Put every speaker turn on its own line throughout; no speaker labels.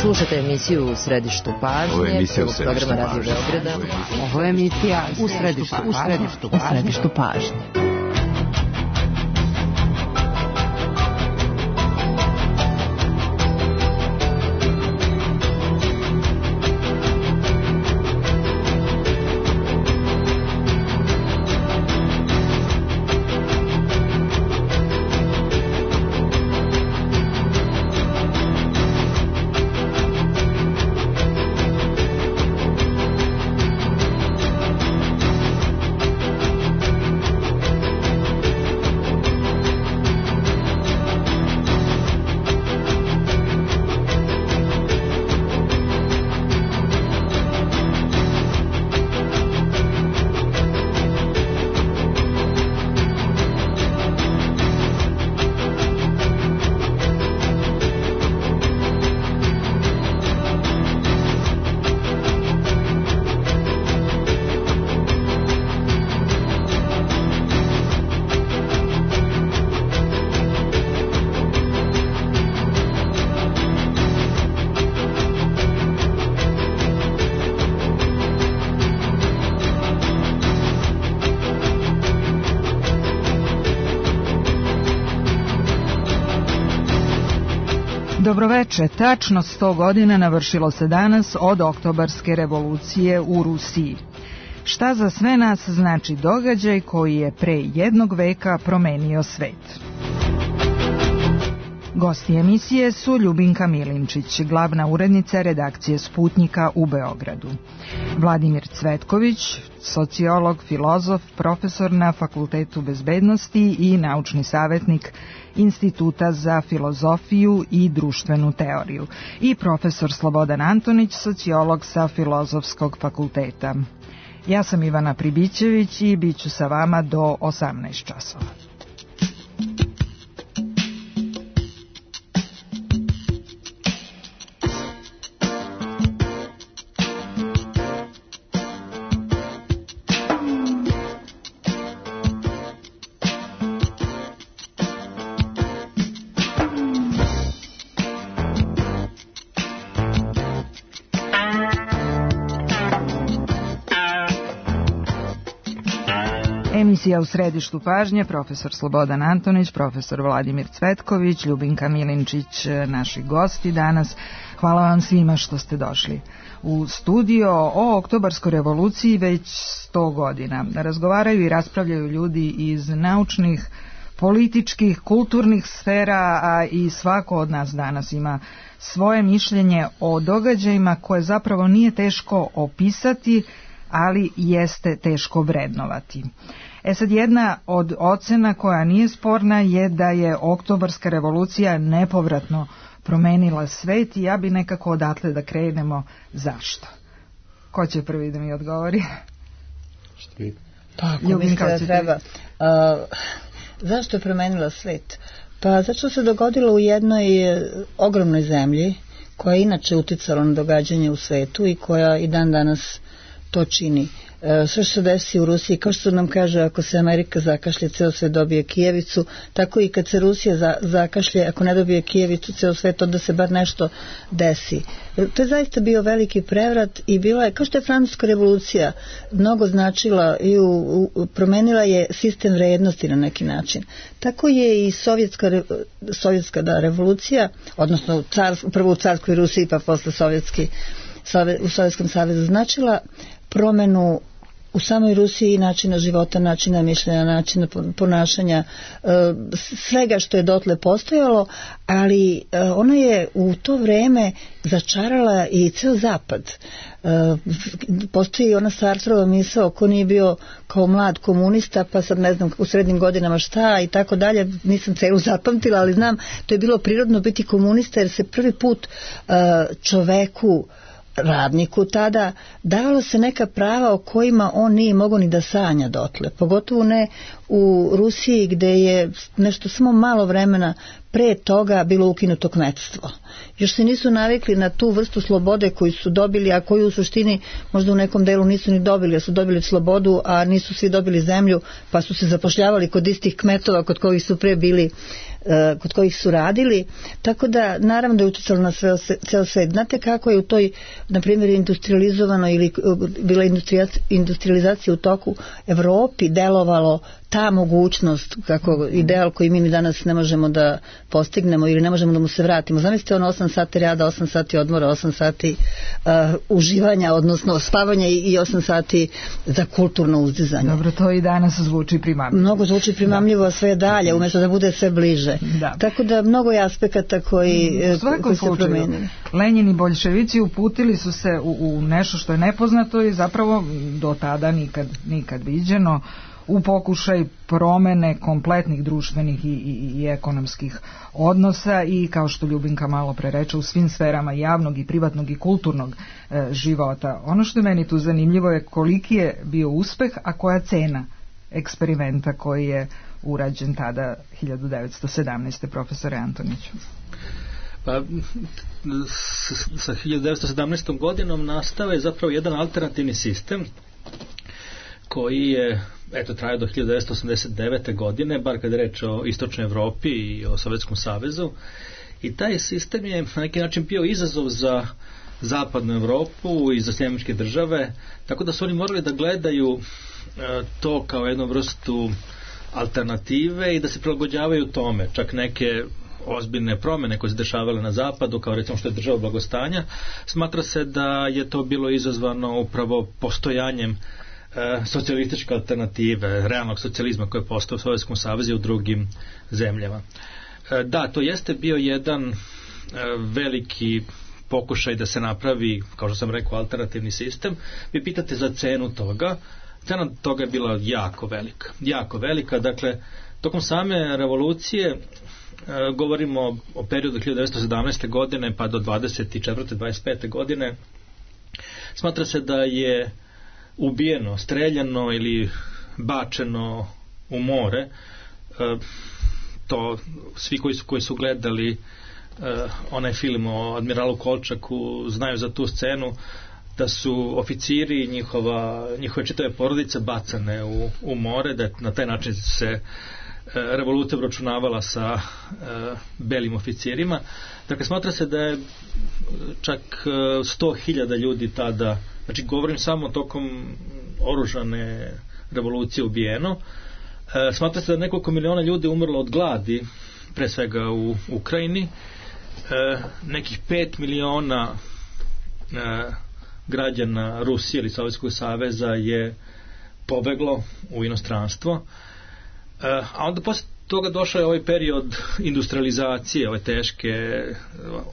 Slušate emisiju U središtu pažnje, programa Radio Beograda.
Ovo je emisija U središtu pažnje.
Dobroveče, tačno 100 godina navršilo se danas od Oktobarske revolucije u Rusiji. Šta za sve nas znači događaj koji je pre jednog veka promenio svet? Gosti emisije su Ljubinka Milinčić, glavna urednica redakcije Sputnjika u Beogradu, Vladimir Cvetković, sociolog, filozof, profesor na Fakultetu bezbednosti i naučni savjetnik Instituta za filozofiju i društvenu teoriju, i profesor Slobodan Antonić, sociolog sa Filozofskog fakulteta. Ja sam Ivana Pribićević i bit ću sa vama do 18 časova. Emisija U središtu pažnje, profesor Slobodan Antonić, profesor Vladimir Cvetković, Ljubinka Milinčić, naši gosti danas. Hvala vam svima što ste došli u studio. O Oktobarskoj revoluciji već 100 godina razgovaraju i raspravljaju ljudi iz naučnih, političkih, kulturnih sfera, a i svako od nas danas ima svoje mišljenje o događajima koje zapravo nije teško opisati, ali jeste teško vrednovati. Sad, jedna od ocena koja nije sporna je da je Oktobarska revolucija nepovratno promenila svet i ja bi nekako odatle da krenemo. Zašto? Ko će prvi da mi odgovori?
Pa, ako mislim da treba. Zašto je promenila svet? Pa zato što se dogodilo u jednoj ogromnoj zemlji koja je inače uticala na događanje u svetu i koja i dan danas to čini. Sve što se desi u Rusiji, kao što nam kaže, ako se Amerika zakašlje, ceo svet dobije kijevicu, tako i kad se Rusija zakašlje, ako ne dobije kijevicu, ceo svet, onda se bar nešto desi. To je zaista bio veliki prevrat i bila je, kao što je Francuska revolucija mnogo značila i promenila je sistem vrednosti na neki način. Tako je i sovjetska revolucija, odnosno prvo u carskoj Rusiji pa posle u Sovjetskom savezu značila promenu u samoj Rusiji načina života, načina mišljenja, načina ponašanja, svega što je dotle postojalo, ali ona je u to vreme začarala i ceo zapad. Postoji ona Sartrova misao, ko nije bio kao mlad komunista, pa sad ne znam u srednjim godinama šta i tako dalje, nisam celu zapamtila, ali znam, to je bilo prirodno biti komunista jer se prvi put čoveku, radniku tada davalo se neka prava o kojima on nije mogao ni da sanja dotle, pogotovo ne u Rusiji gde je nešto samo malo vremena pre toga bilo ukinuto kmetstvo. Još se nisu navikli na tu vrstu slobode koju su dobili, a koju u suštini možda u nekom delu nisu ni dobili, jer su dobili slobodu, a nisu svi dobili zemlju, pa su se zapošljavali kod istih kmetova kod kojih su pre bili kod kojih su radili, tako da naravno da je utjecalo na ceo svet. Znate kako je u toj, na primjer, industrializovanoj ili bila industrializacija u toku Evropi delovalo ta mogućnost, kako ideal koji mi danas ne možemo da postignemo ili ne možemo da mu se vratimo. Zamislite 8 sati rada, 8 sati odmora, 8 sati uživanja, odnosno spavanja i 8 sati za kulturno uzdizanje.
Dobro, to i danas zvuči primamljivo.
Mnogo zvuči primamljivo, a sve dalje, umjesto da bude sve bliže. Da. Tako da mnogo je aspekata koji se promenili.
Lenin i boljševici uputili su se u nešto što je nepoznato i zapravo do tada nikad viđeno, u pokušaj promene kompletnih društvenih i ekonomskih odnosa i, kao što Ljubinka malo pre reče, u svim sferama javnog i privatnog i kulturnog života. Ono što je meni tu zanimljivo je koliki je bio uspeh, a koja cena eksperimenta koji je urađen tada 1917. profesore Antoniću.
Pa, sa 1917. godinom nastao je zapravo jedan alternativni sistem koji je trajao do 1989. godine, bar kad je reč o Istočnoj Evropi i o Sovjetskom savezu. I taj sistem je na neki način bio izazov za Zapadnu Evropu i za Sjedinjene Države, tako da su oni morali da gledaju to kao jednu vrstu alternative i da se prilagođavaju tome. Čak neke ozbiljne promjene koje se dešavale na zapadu, kao recimo što je država blagostanja, smatra se da je to bilo izazvano upravo postojanjem socijalističke alternative, realnog socijalizma koji je postao u Sovjetskom savezu i u drugim zemljama. Da, to jeste bio jedan veliki pokušaj da se napravi, kao što sam rekao, alternativni sistem. Vi pitate za cenu toga. Cena toga je bila jako velika. Dakle, tokom same revolucije, govorimo o periodu 1917. godine pa do 24. 25. godine, smatra se da je ubijeno, streljano ili bačeno u more. To svi koji su gledali onaj film o admiralu Kolčaku znaju za tu scenu, da su oficiri i njihove čitave porodice bacane u more, da na taj način se revolucija obračunavala sa belim oficirima. Dakle, smatra se da je čak 100.000 ljudi tada, znači govorim samo tokom oružane revolucije, ubijeno. Smatra se da nekoliko miliona ljudi umrlo od gladi, pre svega u Ukrajini. Nekih 5 miliona građana Rusije ili Sovjetskog saveza je pobeglo u inostranstvo. A onda posle toga došao je ovaj period industrializacije, ove teške,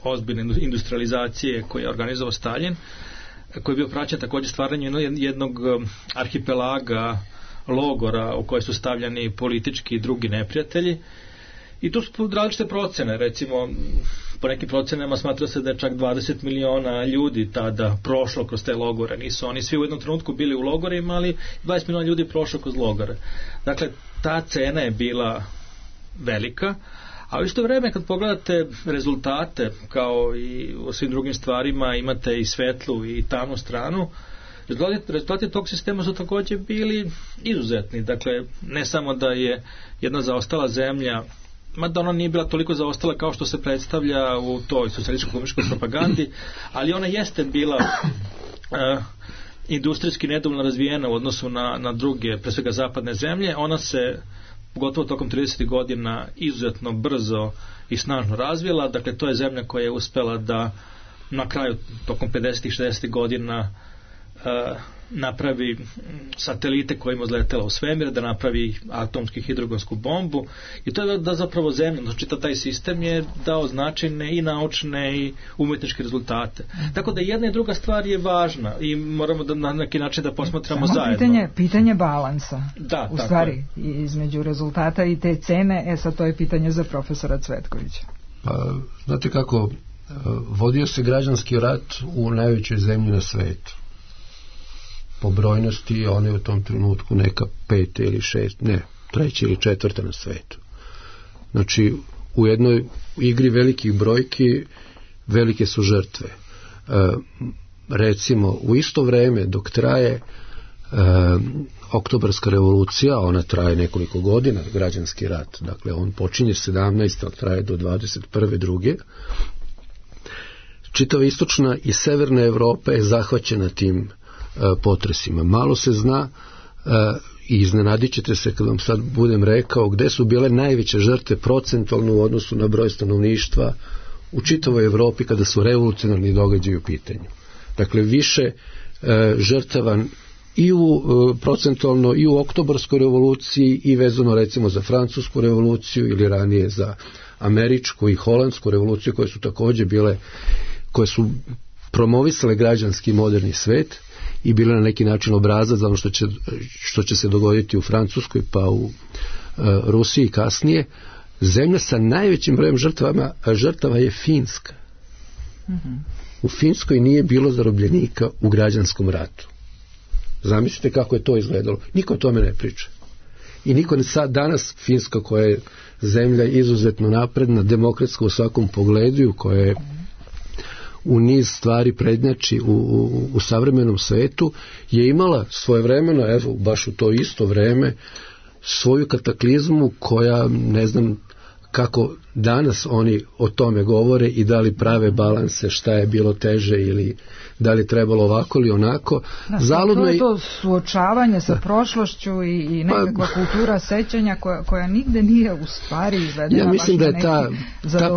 ozbiljne industrializacije koje je organizovao Stalin, koji je bio praćen također stvaranjem jednog arhipelaga logora u koje su stavljani politički i drugi neprijatelji. I tu su različite procene, recimo po nekim procenama smatra se da je čak 20 miliona ljudi tada prošlo kroz te logore. Nisu oni svi u jednom trenutku bili u logorima, ali 20 miliona ljudi prošlo kroz logore. Dakle, ta cena je bila velika, a u isto vreme kad pogledate rezultate, kao i u svim drugim stvarima, imate i svetlu i tamnu stranu. Rezultati tog sistema su također bili izuzetni. Dakle, ne samo da je jedna zaostala zemlja, mada ona nije bila toliko zaostala kao što se predstavlja u toj socijalističko-komunističkoj propagandi, ali ona jeste bila industrijski nedovoljno razvijena u odnosu na druge, pre svega zapadne zemlje. Ona se pogotovo tokom 30. godina izuzetno brzo i snažno razvijela. Dakle, to je zemlja koja je uspela da na kraju tokom 50. i 60. godina napravi satelite kojima izletela u svemir, da napravi atomsku hidrogonsku bombu, i to je da zapravo zemlja, znači taj sistem je dao značajne i naučne i umetničke rezultate. Tako da jedna i druga stvar je važna i moramo da na neki način da posmatramo zajedno.
Pitanje balansa.
Da,
u stvari između rezultata i te cene. Sad to je pitanje za profesora Cvetkovića.
Pa, znate kako, vodio se građanski rat u najvećoj zemlji na svetu. Po brojnosti ona je u tom trenutku neka 5. ili 6, ne, 3. ili 4. na svetu. Znači, u jednoj igri velikih brojki velike su žrtve. Recimo, u isto vreme dok traje Oktobarska revolucija, ona traje nekoliko godina, građanski rat, dakle on počinje 17. traje do 21. druge. Čitava istočna i severna Evropa je zahvaćena tim potresima. Malo se zna i iznenadit ćete se kad vam sad budem rekao gde su bile najveće žrtve procentualno u odnosu na broj stanovništva u čitavoj Evropi kada su revolucionarni događaji u pitanju. Dakle, više žrtava i u procentualno i u Oktobarskoj revoluciji i vezano recimo za Francusku revoluciju ili ranije za Američku i Holandsku revoluciju koje su također bile, koje su promovisale građanski moderni svet i bile na neki način obrazac za ono što će se dogoditi u Francuskoj pa u Rusiji kasnije. Zemlja sa najvećim brojem žrtava je Finska. U Finskoj nije bilo zarobljenika u građanskom ratu. Zamislite kako je to izgledalo. Niko o tome ne priča. I niko sad danas Finska koja je zemlja izuzetno napredna, demokratska u svakom pogledu, koja je u niz stvari prednjači u savremenom svetu, je imala svojevremeno, evo baš u to isto vreme, svoju kataklizmu koja, ne znam kako danas oni o tome govore i da li prave balanse, šta je bilo teže ili da li trebalo ovako ili onako.
To je to suočavanje sa prošlošću i nekakva kultura sećanja koja nigde nije u stvari izvedena.
Ja mislim da je ta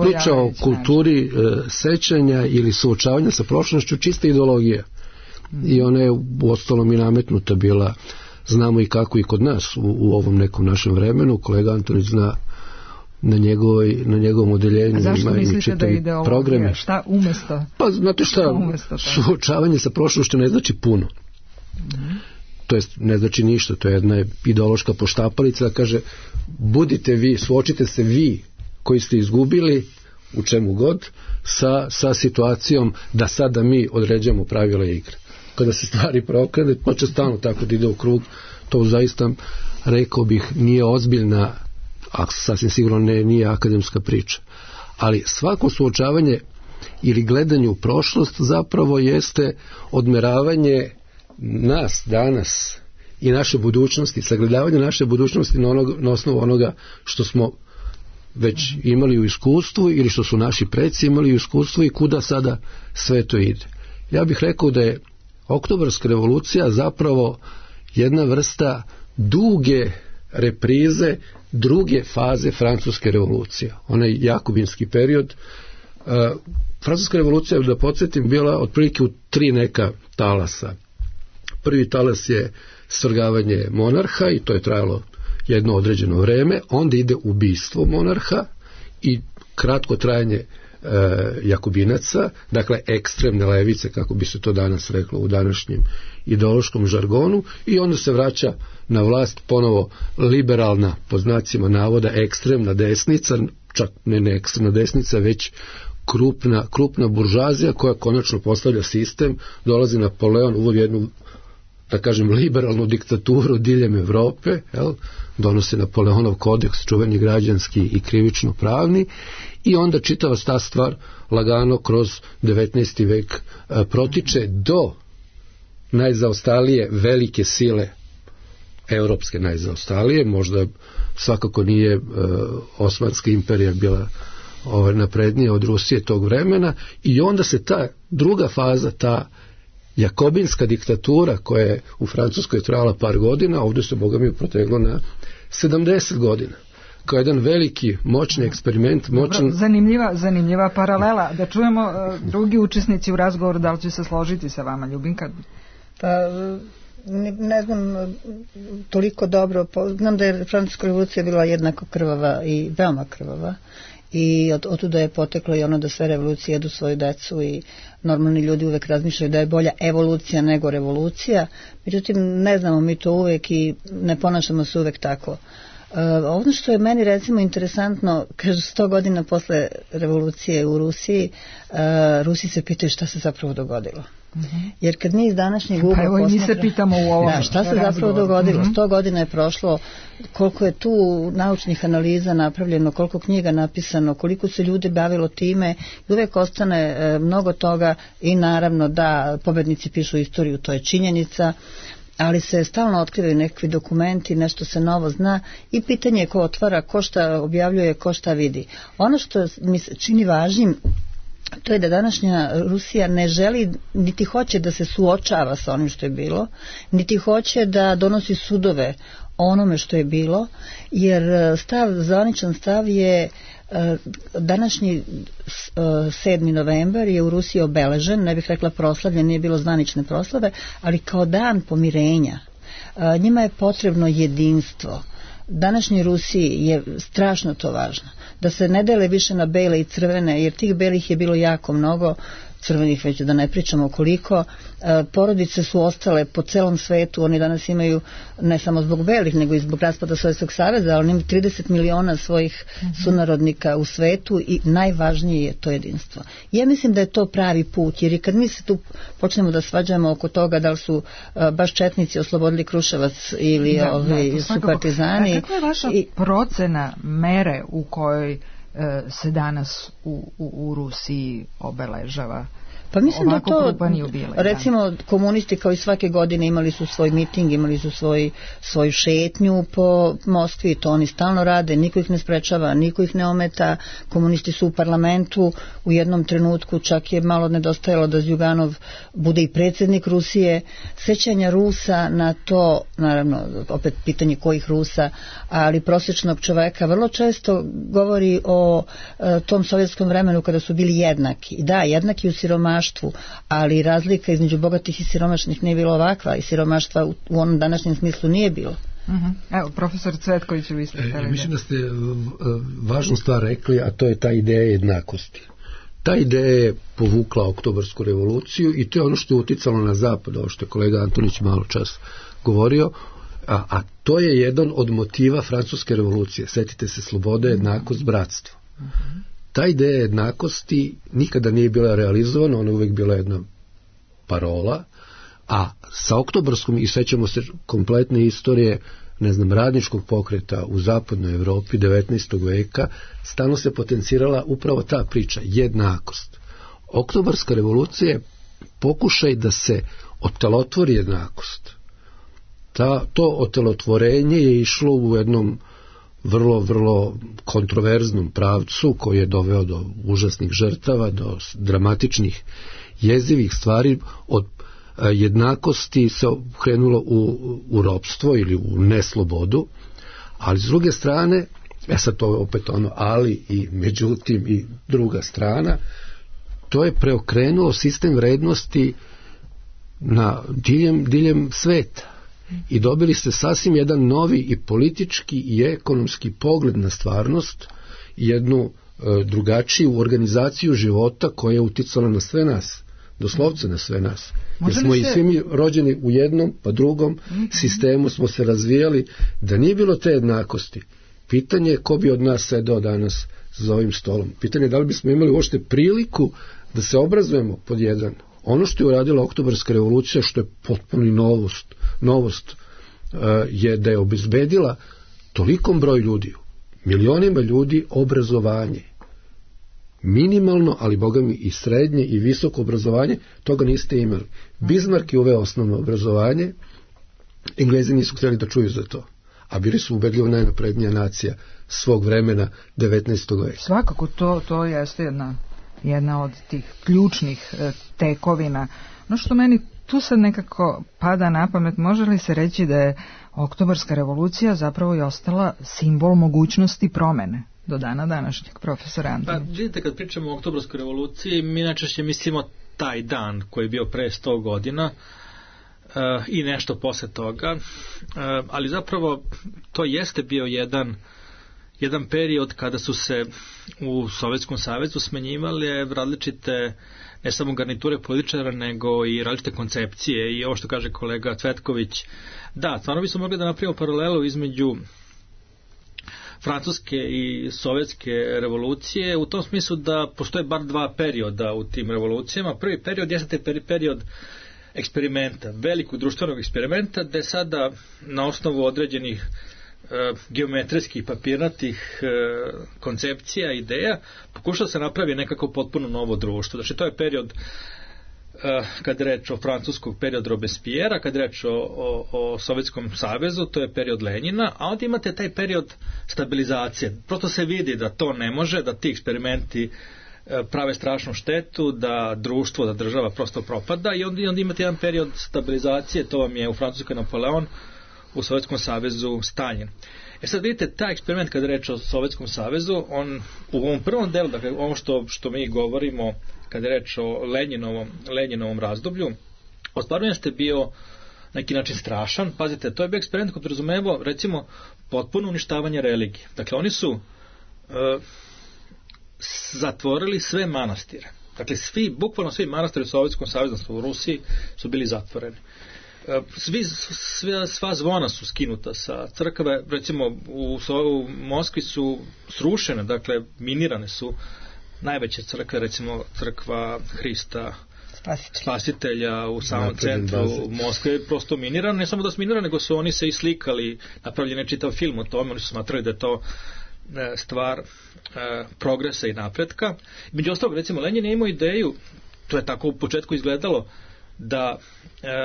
priča o kulturi sećanja ili suočavanja sa prošlošću čista ideologija. I ona je u ostalom i nametnuta bila, znamo i kako i kod nas u ovom nekom našem vremenu. Kolega Antonić zna na njegovom odeljenju.
Zašto mislite da je ideologija? Programe. Šta umjesto?
Pa znate šta, suočavanje sa prošlošću ne znači puno. To jest ne znači ništa, to je jedna ideološka poštapalica da kaže budite vi, suočite se vi koji ste izgubili u čemu god sa situacijom da sada mi određujemo pravila igre. Kada se stvari preokrene, pa će stalno tako da ide u krug, to zaista rekao bih nije ozbiljna, a sasvim sigurno nije akademska priča. Ali svako suočavanje ili gledanje u prošlost zapravo jeste odmeravanje nas danas i naše budućnosti, sagledavanje naše budućnosti na osnovu onoga što smo već imali u iskustvu ili što su naši preci imali u iskustvu i kuda sada sve to ide. Ja bih rekao da je Oktobarska revolucija zapravo jedna vrsta duge reprize druge faze Francuske revolucije. Onaj jakobinski period. Francuska revolucija, da podsjetim, bila otprilike u 3 neka talasa. Prvi talas je svrgavanje monarha i to je trajalo jedno određeno vreme. Onda ide ubistvo monarha i kratko trajanje jakobinaca, dakle ekstremne levice, kako bi se to danas reklo u današnjem ideološkom žargonu, i onda se vraća na vlast ponovo liberalna, po znacima navoda, ekstremna desnica, čak ne ekstremna desnica, već krupna buržazija koja konačno postavlja sistem. Dolazi Napoleon, uvodi jednu, da kažem, liberalnu diktaturu diljem Evrope, donosi Napoleonov kodeks, čuveni građanski i krivično pravni, i onda čitava ta stvar lagano kroz 19. vek protiče do najzaostalije velike sile, europske najzaostalije, možda svakako nije Osmanska imperija bila naprednija od Rusije tog vremena, i onda se ta druga faza, ta jakobinska diktatura koja je u Francuskoj trajala par godina, ovdje se Boga mi proteglo na 70 godina. Kao jedan veliki, moćni eksperiment.
Zanimljiva paralela. Da čujemo drugi učesnici u razgovoru, da li će se složiti sa vama, Ljubinka?
Pa, ne znam toliko dobro. Znam da je Francuska revolucija bila jednako krvava i veoma krvava. I otuda je poteklo i ono da sve revolucije jedu svoju decu i normalni ljudi uvek razmišljaju da je bolja evolucija nego revolucija. Međutim, ne znamo mi to uvek i ne ponašamo se uvek tako. Ono što je meni recimo interesantno, kažu 100 godina posle revolucije u Rusiji, Rusi se pitaju šta se zapravo dogodilo. Jer kad mi iz današnjeg ugla
evo i mi se pitamo u ovom
šta se zapravo dogodilo, 100 godina je prošlo, koliko je tu naučnih analiza napravljeno, koliko knjiga napisano, koliko se ljudi bavilo time, i uvek ostane mnogo toga, i naravno da pobednici pišu istoriju, to je činjenica. ali se stalno otkrivaju nekakvi dokumenti, nešto se novo zna i pitanje je ko otvara, ko šta objavljuje, ko šta vidi. Ono što mi se čini važnim, to je da današnja Rusija ne želi, niti hoće da se suočava sa onim što je bilo, niti hoće da donosi sudove onome što je bilo, jer zvaničan stav je današnji 7. novembar je u Rusiji obeležen, ne bih rekla proslavljen, nije bilo zvanične proslave, ali kao dan pomirenja. Njima je potrebno jedinstvo. Današnjoj Rusiji je strašno to važno, da se ne dele više na bele i crvene, jer tih belih je bilo jako mnogo, crvenih već da ne pričamo koliko. Porodice su ostale po celom svetu, oni danas imaju ne samo zbog belih, nego i zbog raspada Sovjetskog saveza, ali imaju 30 miliona svojih sunarodnika u svetu i najvažnije je to jedinstvo. Ja mislim da je to pravi put, jer i kad mi se tu počnemo da svađamo oko toga da li su baš četnici oslobodili Kruševac ili su partizani.
Kakva je vaša procena mere u kojoj se danas u Rusiji obeležava?
Pa mislim da to, recimo komunisti kao i svake godine imali su svoj miting, imali su svoju šetnju po Moskvi, to oni stalno rade, niko ih ne sprečava, niko ih ne ometa, komunisti su u parlamentu, u jednom trenutku čak je malo nedostajalo da Zjuganov bude i predsjednik Rusije. Sećanja Rusa na to, naravno opet pitanje kojih Rusa, ali prosječnog čoveka vrlo često govori o tom sovjetskom vremenu kada su bili jednaki. Da, jednaki u siromaštvu, ali razlika između bogatih i siromašnih nije bila ovakva i siromaštva u onom današnjem smislu nije bilo.
Evo, profesor Cvetković, vi ste htjeli.
Mislim da ste važnu stvar rekli, a to je ta ideja jednakosti. Ta ideja je povukla Oktobarsku revoluciju i to je ono što je uticalo na zapad, ovo što je kolega Antonić malo čas govorio, a to je jedan od motiva Francuske revolucije. Sjetite se, sloboda, jednakost, bratstvo. Ta ideja jednakosti nikada nije bila realizovana, ona je uvijek bila jedna parola, a sa Oktobarskom, i sećamo se kompletne istorije, radničkog pokreta u zapadnoj Evropi 19. veka, stalno se potencirala upravo ta priča, jednakost. Oktobarska revolucija je pokušaj da se otelotvori jednakost. To otelotvorenje je išlo u jednom vrlo kontroverznom pravcu koji je doveo do užasnih žrtava, do dramatičnih jezivih stvari. Od jednakosti se krenulo u ropstvo ili u neslobodu, ali s druge strane, sad to je opet ono ali i međutim i druga strana, to je preokrenulo sistem vrednosti na diljem sveta. I dobili ste sasvim jedan novi i politički i ekonomski pogled na stvarnost, jednu drugačiju organizaciju života koja je uticala na sve nas, doslovce na sve nas. Jer smo i svi mi rođeni u jednom pa drugom sistemu, smo se razvijali. Da nije bilo te jednakosti, pitanje je ko bi od nas sedao danas za ovim stolom. Pitanje je da li bismo imali uopšte priliku da se obrazujemo pod jedan. Ono što je uradila Oktobarska revolucija, što je potpuno novost, je da je obezbedila tolikom broju ljudi, milionima ljudi, obrazovanje. Minimalno, ali bogami i srednje i visoko obrazovanje, toga niste imali. Bismarck je uveo osnovno obrazovanje, Englezi nisu htjeli da čuju za to, a bili su ubedljivo najnaprednija nacija svog vremena 19. veka.
Svakako, to jeste jedna od tih ključnih tekovina. No što meni tu sad nekako pada na pamet, može li se reći da je Oktobarska revolucija zapravo i ostala simbol mogućnosti promene do dana današnjeg, profesora Antonić?
Pa vidite, kad pričamo o Oktobarskoj revoluciji, mi najčešće mislimo taj dan koji je bio pre 100 godina i nešto posle toga, ali zapravo to jeste bio jedan period kada su se u Sovjetskom savezu smenjivale različite, ne samo garniture političara, nego i različite koncepcije. I ovo što kaže kolega Cvetković, da, stvarno bismo mogli da napravimo paralelu između Francuske i Sovjetske revolucije, u tom smislu da postoje bar dva perioda u tim revolucijama. Prvi period jeste period eksperimenta, velikog društvenog eksperimenta, gde sada na osnovu određenih geometrijskih papirnatih koncepcija, ideja, pokušao se napravi nekako potpuno novo društvo. Znači to je period kad je reč o francuskog periodu Robespierre, kad je reč o Sovjetskom savezu, to je period Lenjina, a onda imate taj period stabilizacije. Prosto se vidi da to ne može, da ti eksperimenti prave strašnu štetu, da društvo, da država prosto propada i onda imate jedan period stabilizacije, to vam je u Francuskoj Napoleon, u Sovjetskom savezu Stalin. Sad vidite, taj eksperiment kada je reč o Sovjetskom savezu, on u ovom prvom delu, dakle ono što mi govorimo kada je reč o Lenjinovom razdoblju, ostvarno jeste bio neki način strašan. Pazite, to je bio eksperiment koji podrazumevao recimo potpuno uništavanje religije. Dakle, oni su zatvorili sve manastire. Dakle, bukvalno svi manastiri u Sovjetskom savezu u Rusiji su bili zatvoreni. Sva zvona su skinuta sa crkve, recimo u Moskvi su srušene, dakle minirane su najveće crkve, recimo crkva Hrista Spasitelja u samom centru Moskve, prosto minirane, ne samo da su minirane, nego su oni se islikali, napravljeni je čitav film o tome, oni su smatrali da je to stvar progresa i napretka. Među ostalog, recimo, Lenjin je imao ideju, to je tako u početku izgledalo, da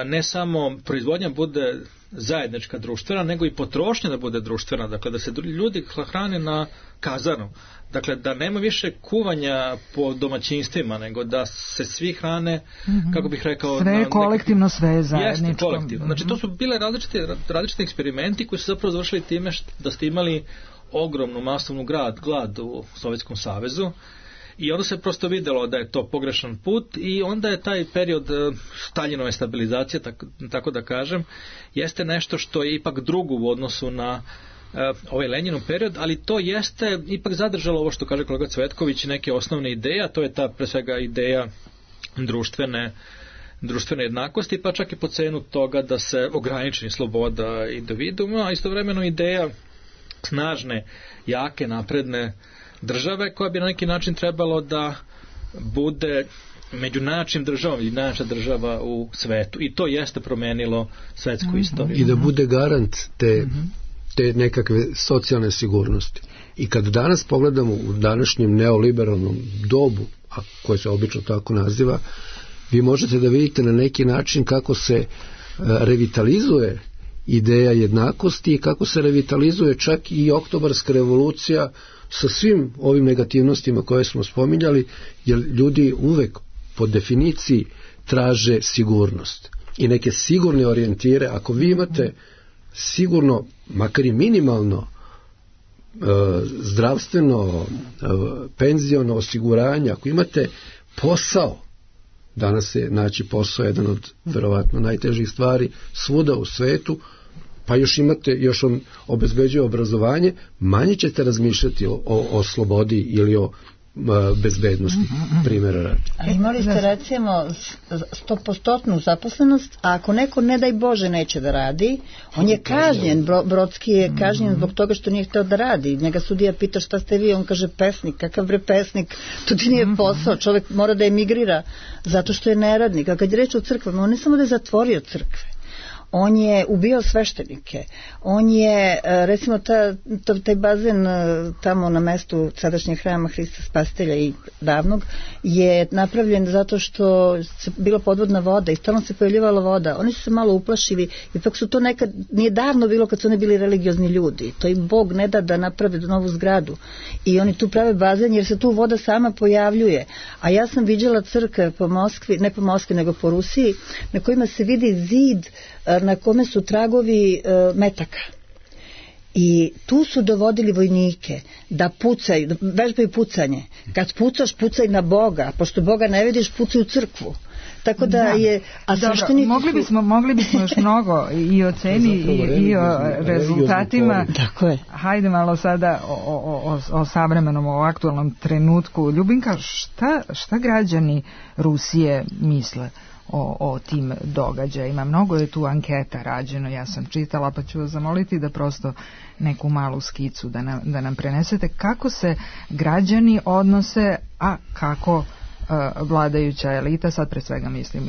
ne samo proizvodnja bude zajednička društvena, nego i potrošnja da bude društvena, dakle da se ljudi hrane na kazanu, dakle da nema više kuvanja po domaćinstvima, nego da se svi hrane, kako bih rekao,
sve je kolektivno, sve je zajedničko.
Jeste, kolektivno. Znači to su bile različiti eksperimenti koji su zapravo završili time da ste imali ogromnu masovnu glad u Sovjetskom savezu. I onda se prosto vidjelo da je to pogrešan put i onda je taj period Staljinove stabilizacije, tako da kažem, jeste nešto što je ipak drugo u odnosu na ovaj Lenjinov period, ali to jeste ipak zadržalo ovo što kaže kolega Cvetković, neke osnovne ideje, a to je ta pre svega ideja društvene jednakosti, pa čak i po cenu toga da se ograniči sloboda individuma, a istovremeno ideja snažne, jake, napredne države koja bi na neki način trebalo da bude među najjačim državom ili najjača država u svetu. I to jeste promenilo svetsku istoriju.
I da bude garant te nekakve socijalne sigurnosti. I kad danas pogledamo u današnjem neoliberalnom dobu, a koje se obično tako naziva, vi možete da vidite na neki način kako se revitalizuje ideja jednakosti i kako se revitalizuje čak i oktobarska revolucija sa svim ovim negativnostima koje smo spominjali, jer ljudi uvek po definiciji traže sigurnost i neke sigurne orijentire. Ako vi imate sigurno, makar i minimalno zdravstveno, penziono osiguranje, ako imate posao, danas je naći posao jedan od verovatno najtežih stvari svuda u svetu, pa još on obezbeđuje obrazovanje, manje ćete razmišljati o slobodi ili o bezbednosti, primjera radi.
Ali imali ste recimo 100% zaposlenost, a ako neko ne daj Bože neće da radi, on je kažnjen, Brodski je kažnjen zbog toga što nije hteo da radi. Njega sudija pita šta ste vi, on kaže pesnik, kakav bre pesnik, to ti nije posao, čovjek mora da emigrira zato što je neradnik. A kad je reč o crkvama, on ne samo da je zatvorio crkve, on je ubio sveštenike, on je, recimo, taj bazen tamo na mestu sadašnjeg hrama Hrista Spasitelja i davnog je napravljen zato što se bila podvodna voda i stalno se pojavljivala voda. Oni su se malo uplašili, ipak su to nekad, nije davno bilo kad su oni bili religiozni ljudi, to im Bog ne da naprave novu zgradu i oni tu prave bazen jer se tu voda sama pojavljuje. A ja sam viđala crkve po Moskvi, ne po Moskvi nego po Rusiji, na kojima se vidi zid na kome su tragovi metaka. I tu su dovodili vojnike da pucaju, da vežbaju pucanje. Kad pucaš, pucaj na Boga, pošto Boga ne vidiš, pucaj u crkvu. Tako da je... A
dobro, mogli bismo još mnogo i o ceni i o rezultatima.
Tako je.
Hajde malo sada o savremenom, o aktualnom trenutku. Ljubinka, šta građani Rusije misle o tim događajima? Mnogo je tu anketa rađeno, ja sam čitala, pa ću vas zamoliti da prosto neku malu skicu da nam prenesete kako se građani odnose, a kako vladajuća elita, sad pre svega mislim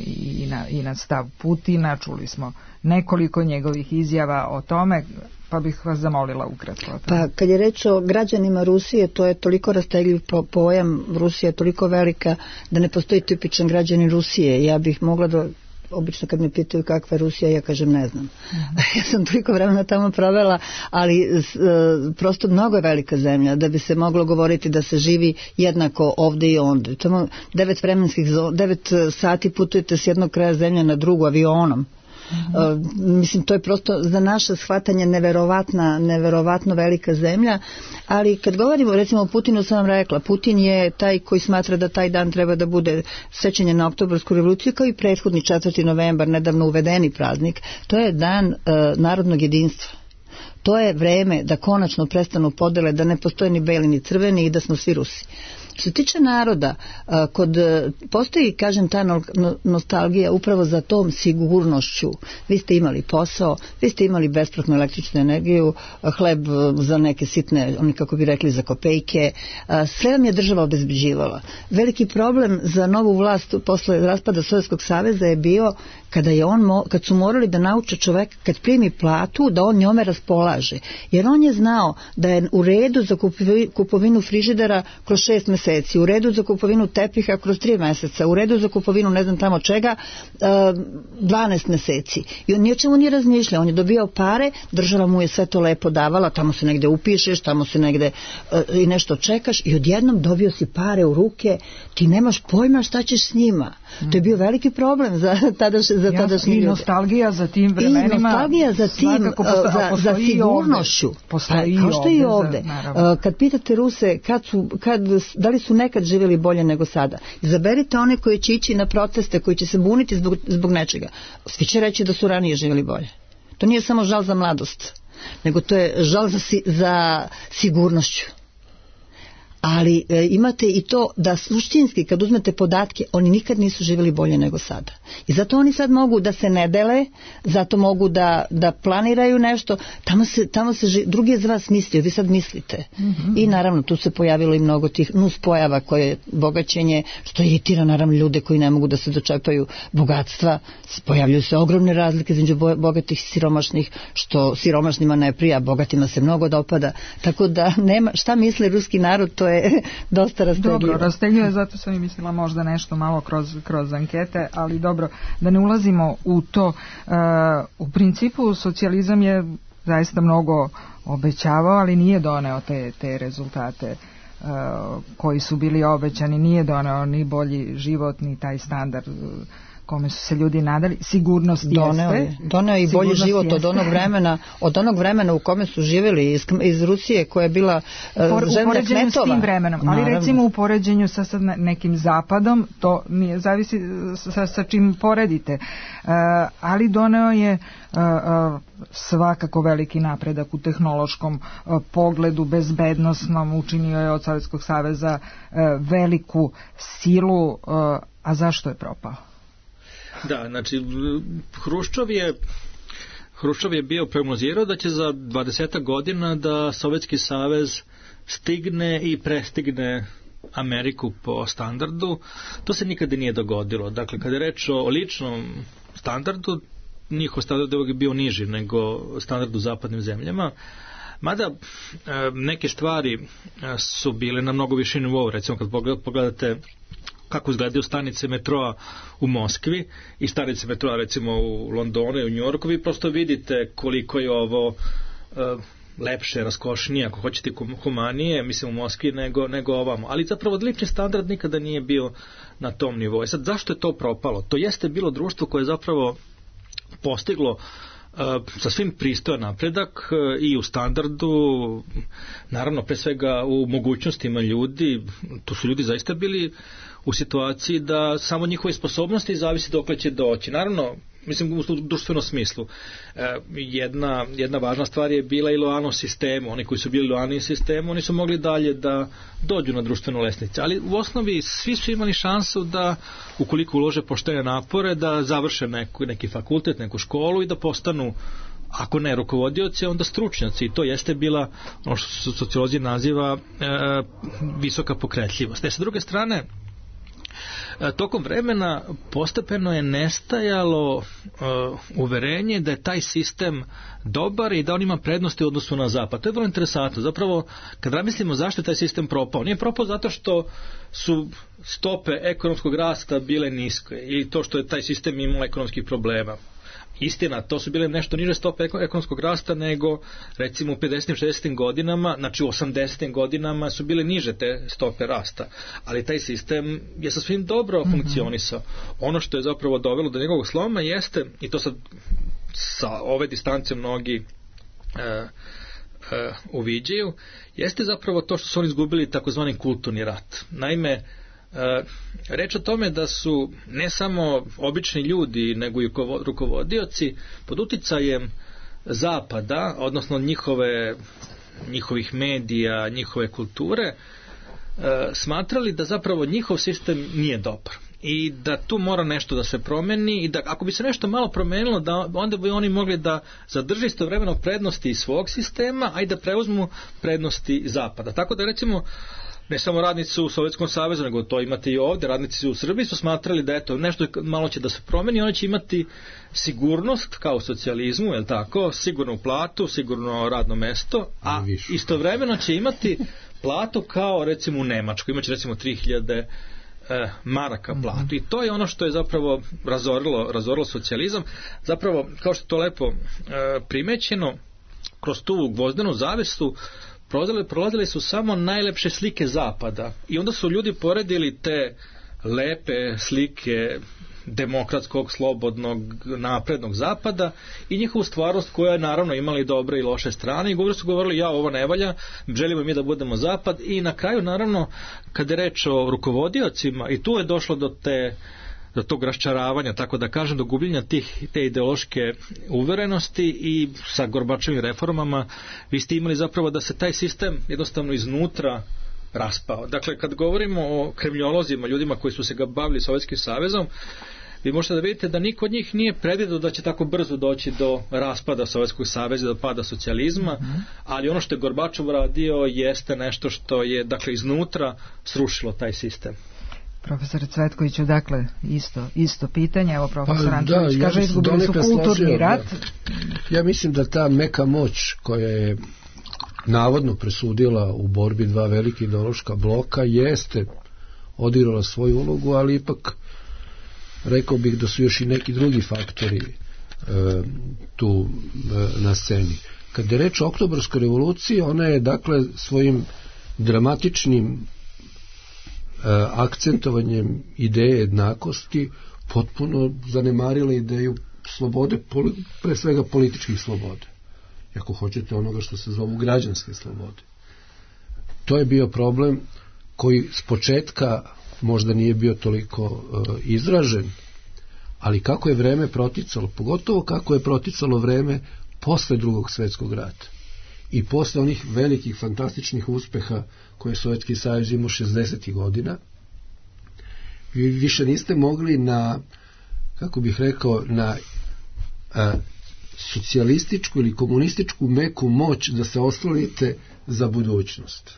i na stav Putina, čuli smo nekoliko njegovih izjava o tome, pa bih vas zamolila ukratko o tome.
Pa kad je reč o građanima Rusije, to je toliko rastegljiv pojam, Rusija je toliko velika da ne postoji tipičan građanin Rusije. Ja bih mogla da, obično kad me pitaju kakva je Rusija, ja kažem ne znam. Ja sam toliko vremena tamo provela, ali prosto mnogo je velika zemlja da bi se moglo govoriti da se živi jednako ovde i onde. Tamo 9 sati putujete s jednog kraja zemlje na drugu avionom. Mislim, to je prosto za naše shvatanje neverovatno velika zemlja, ali kad govorimo recimo o Putinu, sam vam rekla, Putin je taj koji smatra da taj dan treba da bude sećanje na Oktobarsku revoluciju, kao i prethodni 4. novembar, nedavno uvedeni praznik. To je dan narodnog jedinstva. To je vreme da konačno prestanu podele, da ne postoje ni beli ni crveni i da smo svi Rusi. Što se tiče naroda, postoji, kažem, ta nostalgija upravo za tom sigurnošću. Vi ste imali posao, vi ste imali besplatnu električnu energiju, hleb za neke sitne, oni kako bi rekli, za kopejke. Sve vam je država obezbeđivala. Veliki problem za novu vlast posle raspada Sovjetskog saveza je bio kad su morali da nauče čovek kad primi platu da on njome raspolaže. Jer on je znao da je u redu za kupovinu frižidera kroz 6 meseci, u redu za kupovinu tepiha kroz 3 meseca, u redu za kupovinu ne znam tamo čega 12 meseci. I on ničemu nije razmišljao, on je dobijao pare, država mu je sve to lepo davala, tamo se negde upišeš, tamo se negde i nešto čekaš i odjednom dobio si pare u ruke, ti nemaš pojma šta ćeš s njima. To je bio veliki problem za tadašnji ljude.
I nostalgija za tim vremenima.
I nostalgija za tim, za sigurnošću. Kao što i ovde. Kad pitate Ruse da li su nekad živjeli bolje nego sada, izaberite one koji će ići na proteste, koji će se buniti zbog nečega. Svi će reći da su ranije živjeli bolje. To nije samo žal za mladost, nego to je žal za sigurnošću. Ali imate i to da suštinski kad uzmete podatke, oni nikad nisu živjeli bolje nego sada. I zato oni sad mogu da se ne dele, zato mogu da planiraju nešto, tamo se drugi je za vas mislio, vi sad mislite. I naravno tu se pojavilo i mnogo tih nuspojava koje je bogaćenje, što iritira naravno ljude koji ne mogu da se dočepaju bogatstva, pojavljuju se ogromne razlike između bogatih i siromašnih, što siromašnima ne prija, bogatima se mnogo dopada, tako da nema, šta misli ruski narod, to je dosta rastegljivo.
Dobro, rastegljivo je, zato sam i mislila možda nešto malo kroz ankete, ali dobro, da ne ulazimo u to. U principu socijalizam je zaista mnogo obećavao, ali nije doneo te rezultate koji su bili obećani, nije doneo ni bolji život, ni taj standard kome su se ljudi nadali. Sigurnost jeste.
Doneo i bolji život od onog vremena u kome su živjeli iz Rusije koja je bila zemlja kmetova.
S tim vremenom, ali recimo u poređenju sa nekim zapadom, to nije, zavisi sa čim poredite, ali doneo je svakako veliki napredak u tehnološkom pogledu, bezbednosnom, učinio je od Sovjetskog saveza veliku silu, a zašto je propao?
Da, znači Hruščov je bio prognozirao da će za 20 godina da Sovjetski savez stigne i prestigne Ameriku po standardu. To se nikada nije dogodilo. Dakle, kada je reč o ličnom standardu, njihov standard je bio niži nego standard u zapadnim zemljama. Mada neke stvari su bile na mnogo više nivou. Recimo kad pogledate kako izgledaju stanice metroa u Moskvi i stanice metroa recimo u Londonu i u Njujorku, vi prosto vidite koliko je ovo lepše, raskošnije, ako hoćete humanije, mislim u Moskvi nego ovamo. Ali zapravo lični standard nikada nije bio na tom nivou. Sad, zašto je to propalo? To jeste bilo društvo koje je zapravo postiglo sa svim pristojan napredak i u standardu, naravno pre svega u mogućnostima ljudi. Tu su ljudi zaista bili u situaciji da samo njihove sposobnosti zavisi dokle će doći. Naravno, mislim u društvenom smislu. Jedna važna stvar je bila i lojalnost sistemu. Oni koji su bili lojalni sistemu, oni su mogli dalje da dođu na društvenu lestvicu. Ali u osnovi svi su imali šansu da, ukoliko ulože poštene napore, da završe neki fakultet, neku školu i da postanu, ako ne rukovodioci, onda stručnjaci. I to jeste bila ono što sociolozi naziva visoka pokretljivost. Sa druge strane, tokom vremena postepeno je nestajalo uverenje da je taj sistem dobar i da on ima prednosti u odnosu na zapad. To je vrlo interesantno. Zapravo, kad razmislimo zašto je taj sistem propao, nije propao zato što su stope ekonomskog rasta bile niske i to što je taj sistem imao ekonomskih problema. Istina, to su bile nešto niže stope ekonomskog rasta nego recimo u 50. 60. godinama, znači u 80. godinama su bile niže te stope rasta, ali taj sistem je sa svim dobro funkcionisao. Ono što je zapravo dovelo do njegovog sloma jeste, i to sad sa ove distance mnogi uviđaju, jeste zapravo to što su oni izgubili takozvani kulturni rat. Naime, reč o tome da su ne samo obični ljudi nego i rukovodioci pod uticajem zapada, odnosno njihovih medija, njihove kulture, smatrali da zapravo njihov sistem nije dobar i da tu mora nešto da se promeni i da ako bi se nešto malo promenilo, da onda bi oni mogli da zadrže istovremeno prednosti iz svog sistema, a i da preuzmu prednosti zapada. Tako da recimo ne samo radnici u Sovjetskom savezu, nego to imate i ovdje, radnici u Srbiji su smatrali da eto, nešto malo će da se promeni, oni će imati sigurnost kao u socijalizmu, je li tako, sigurnu platu, sigurno radno mesto, a istovremeno će imati platu kao recimo u Nemačkoj, imaće recimo 3000 maraka platu i to je ono što je zapravo razorilo socijalizam. Zapravo, kao što je to lepo primećeno, kroz tu gvozdenu zavesu prolazile su samo najlepše slike zapada i onda su ljudi poredili te lepe slike demokratskog, slobodnog, naprednog zapada i njihovu stvarnost koja je naravno imala i dobre i loše strane i govorili ovo ne valja, želimo mi da budemo zapad i na kraju naravno kada je reč o rukovodiocima i tu je došlo do tog raščaravanja, tako da kažem, do gubljenja te ideološke uverenosti i sa Gorbačevim reformama vi ste imali zapravo da se taj sistem jednostavno iznutra raspao. Dakle, kad govorimo o kremljolozima, ljudima koji su se bavili Sovjetskim savezom, vi možete da vidite da niko od njih nije predvideo da će tako brzo doći do raspada Sovjetskog saveza, do pada socijalizma, ali ono što je Gorbačov radio jeste nešto što je, dakle, iznutra srušilo taj sistem.
Profesor Cvetkoviću, dakle, isto pitanje, evo profesor Antonić kaže, izgubili su kulturni rat.
Ja mislim da ta meka moć koja je navodno presudila u borbi dva velike ideološka bloka jeste odigrala svoju ulogu, ali ipak rekao bih da su još i neki drugi faktori tu na sceni. Kad je reč o Oktobarskoj revoluciji, ona je dakle svojim dramatičnim akcentovanjem ideje jednakosti potpuno zanemarila ideju slobode, pre svega političkih sloboda, ako hoćete onoga što se zovu građanske slobode. To je bio problem koji s početka možda nije bio toliko izražen, ali kako je vreme proticalo, pogotovo kako je proticalo vreme posle Drugog svjetskog rata i posle onih velikih fantastičnih uspeha koje je Sovjetski savez imao 60. godina, vi više niste mogli na, kako bih rekao, na socijalističku ili komunističku meku moć da se oslonite za budućnost.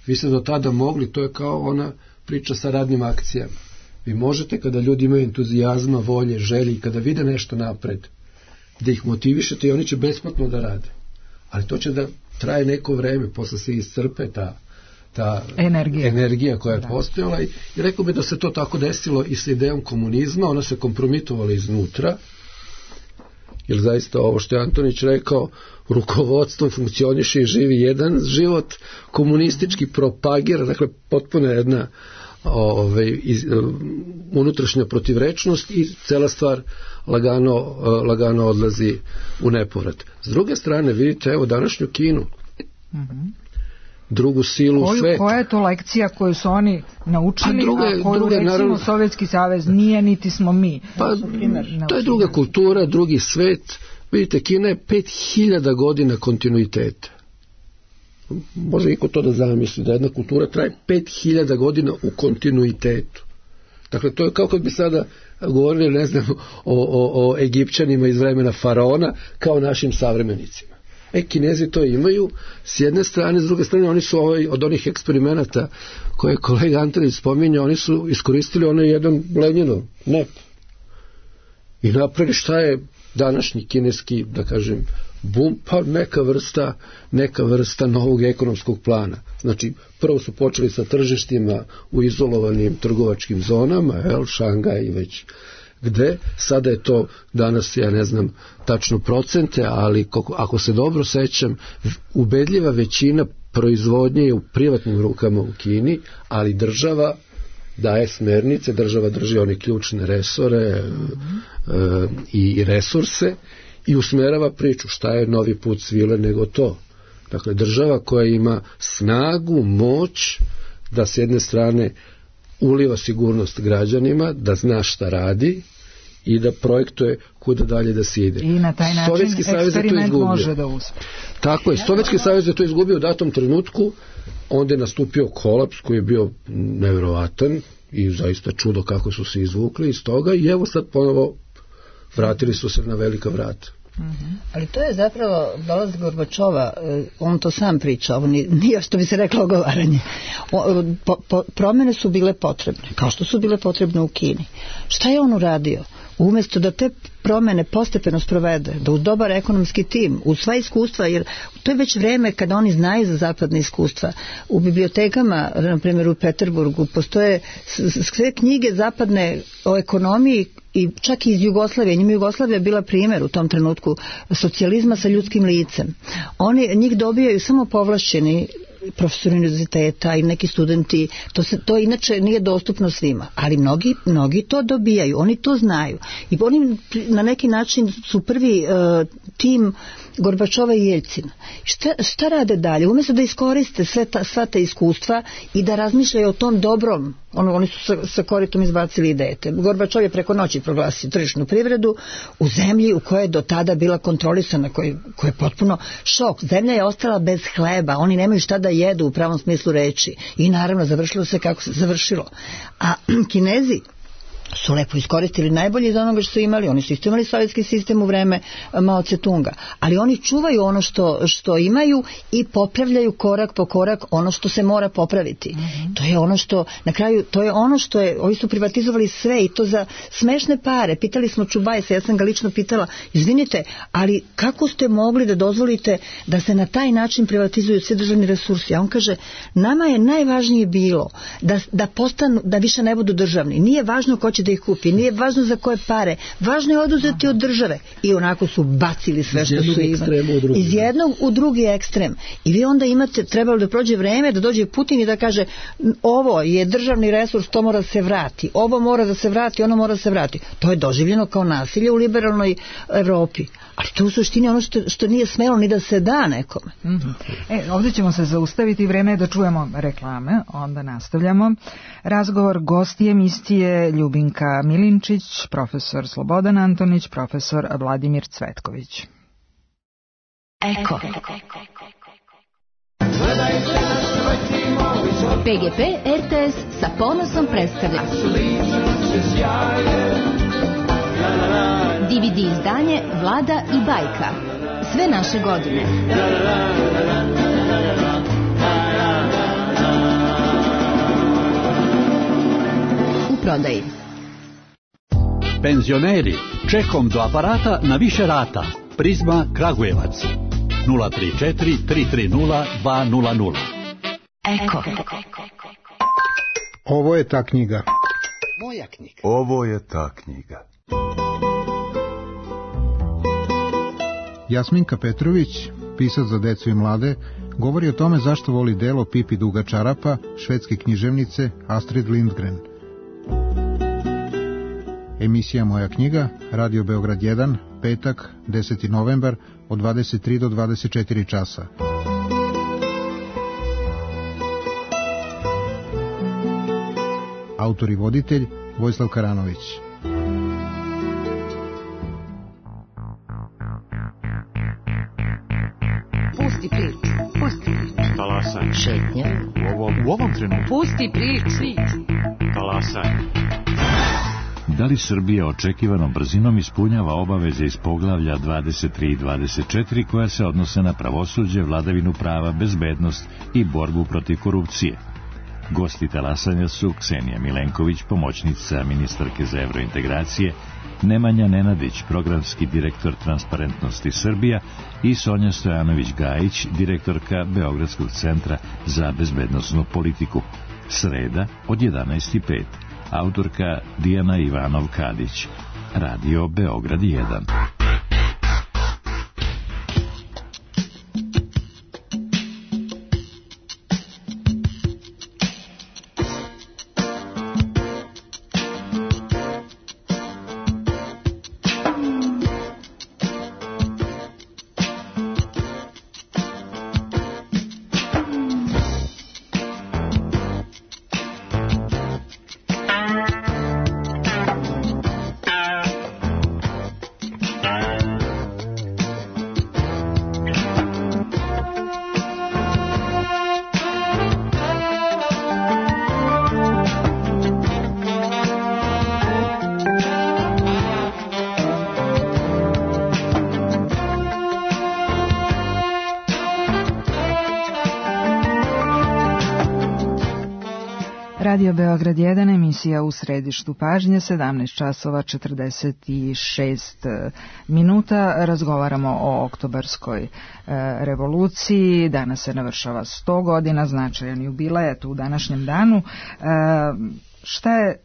Vi ste do tada mogli, to je kao ona priča sa radnim akcijama. Vi možete, kada ljudi imaju entuzijazma, volje, želje i kada vide nešto napred, da ih motivišete i oni će besplatno da rade. Ali to će da traje neko vreme, posle se iscrpe ta energija koja je postojala i rekao bi da se to tako desilo i sa idejom komunizma, ona se kompromitovala iznutra, jer zaista ovo što je Antonić rekao, rukovodstvo funkcioniše i živi jedan život, komunistički propagira, dakle potpuno jedna unutrašnja protivrečnost i cela stvar lagano odlazi u nepovrat. S druge strane, vidite, evo današnju Kinu, drugu silu u svetu.
Koja je to lekcija koju su oni naučili, a koju recimo naravno, Sovjetski savez nije, niti smo mi?
Pa, to je druga kultura, drugi svet. Vidite, Kina je 5000 godina kontinuiteta. Može iko to da zamisli, da jedna kultura traje 5000 godina u kontinuitetu. Dakle, to je kao kad bi sada govorili, ne znam, o Egipćanima iz vremena faraona kao našim savremenicima. Kinezi to imaju s jedne strane, s druge strane oni su od onih eksperimenata koje je kolega Antonić spominjao, oni su iskoristili onaj jedan Lenjinov NEP i napravili šta je današnji kineski, da kažem, bum, pa neka vrsta novog ekonomskog plana. Znači, prvo su počeli sa tržištima u izolovanim trgovačkim zonama, Šangaj i već gde, sada je to danas, ja ne znam tačno procente, ali ako se dobro sećam, ubedljiva većina proizvodnje je u privatnim rukama u Kini, ali država daje smernice, država drži one ključne resore i resurse i usmerava priču šta je novi put svile nego to. Dakle, država koja ima snagu, moć da s jedne strane uliva sigurnost građanima, da zna šta radi i da projektuje kuda dalje da se ide.
I na taj način eksperiment može da uspe.
Tako je, Sovjetski savez je to izgubio u datom trenutku, onda je nastupio kolaps koji je bio nevjerovatan i zaista čudo kako su se izvukli iz toga i evo sad ponovo vratili su se na velika vrata.
Ali to je zapravo dolazak Gorbačova, on to sam priča, ovo nije što bi se reklo ogovaranje. Promjene su bile potrebne, kao što su bile potrebne u Kini. Šta je on uradio? Umjesto da te promjene postepeno sprovede, da uz dobar ekonomski tim, uz sva iskustva, jer to je već vreme kada oni znaju za zapadne iskustva. U bibliotekama, na primjer u Peterburgu, postoje sve knjige zapadne o ekonomiji i čak i iz Jugoslavije. Njima Jugoslavija bila primjer u tom trenutku socijalizma sa ljudskim licem. Njih dobijaju samo povlašćeni profesori univerziteta i neki studenti, to inače nije dostupno svima, ali mnogi to dobijaju, oni to znaju i oni na neki način su prvi tim Gorbačova i Jeljcina. Šta rade dalje? Umjesto da iskoriste sva ta iskustva i da razmišljaju o tom dobrom, oni su sa koritom izbacili idejete. Gorbačov je preko noći proglasio tržišnu privredu u zemlji u kojoj je do tada bila kontrolisana, koja je potpuno šok. Zemlja je ostala bez hleba, oni nemaju šta da jedu u pravom smislu reči i naravno završilo se kako se završilo. A Kinezi su lepo iskoristili najbolje iz onoga što su imali. Oni su isto imali sovjetski sistem u vreme Mao Tse-tunga, ali oni čuvaju ono što imaju i popravljaju korak po korak ono što se mora popraviti. To je ono što, na kraju, to je ono što je, ovi su privatizovali sve i to za smešne pare. Pitali smo Čubajsa, ja sam ga lično pitala, izvinite, ali kako ste mogli da dozvolite da se na taj način privatizuju svi državni resursi? A on kaže, nama je najvažnije bilo da postanu, da više ne budu državni. Nije važno ko će da ih kupi, nije važno za koje pare, važno je oduzeti od države. I onako su bacili sve što su imali. Iz jednog u drugi ekstrem. I vi onda imate, trebalo da prođe vreme, da dođe Putin i da kaže, ovo je državni resurs, to mora se vrati, ovo mora da se vrati, ono mora da se vrati. To je doživljeno kao nasilje u liberalnoj Evropi. Ali to u suštini ono što nije smelo ni da se da nekome.
Ovdje ćemo se zaustaviti, vreme je da čujemo reklame, onda nastavljamo. Razgovor, gosti emisije Ljubinka Milinčić, profesor Slobodan Antonić, profesor Vladimir Cvetković.
Eko. PGP RTS sa ponosom predstavlja DVD izdanje Vlada i bajka. Sve naše godine. U prodaji.
Penzioneri, čekom do aparata na više rata. Prizma Kragujevac 034 330 200.
Eko.
Ovo je ta knjiga.
Moja knjiga.
Ovo je ta knjiga.
Jasminka Petrović, pisac za decu i mlade, govori o tome zašto voli delo Pipi duga čarapa švedske književnice Astrid Lindgren. Emisija Moja knjiga, Radio Beograd 1, petak, 10. novembar, od 23 do 24 časa. Autor i voditelj Vojislav Karanović.
Pusti priču.
Talasaj.
Šetnja.
U ovom trenutku.
Pusti priču.
Talasaj.
Da li Srbija očekivanom brzinom ispunjava obaveze iz poglavlja 23 i 24 koja se odnose na pravosuđe, vladavinu prava, bezbednost i borbu protiv korupcije? Gosti talasanja su Ksenija Milenković, pomoćnica ministarke za evrointegracije, Nemanja Nenadić, programski direktor Transparentnosti Srbija i Sonja Stojanović-Gajić, direktorka Beogradskog centra za bezbednosnu politiku. Sreda od 11:05. Autorka Dijana Ivanov-Kadić. Radio Beograd 1.
Radio Beograd 1, emisija U središtu pažnje, 17 časova 46 minuta. Razgovaramo o oktobarskoj revoluciji. Danas se navršava 100 godina, značajan jubilej, eto u današnjem danu. Šta je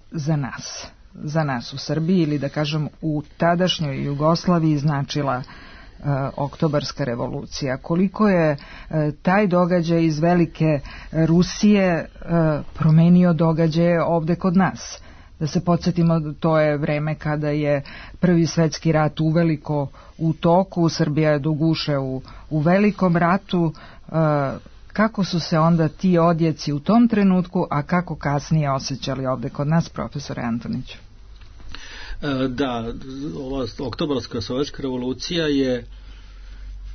za nas u Srbiji ili da kažem u tadašnjoj Jugoslaviji značila oktobarska revolucija? Koliko je taj događaj iz velike Rusije promenio događaje ovde kod nas? Da se podsjetimo, to je vreme kada je Prvi svetski rat uveliko u toku, Srbija je do guše u velikom ratu. Kako su se onda ti odjeci u tom trenutku, a kako kasnije osjećali ovde kod nas, profesore Antoniću?
Da, ova oktobarska sovjetska revolucija je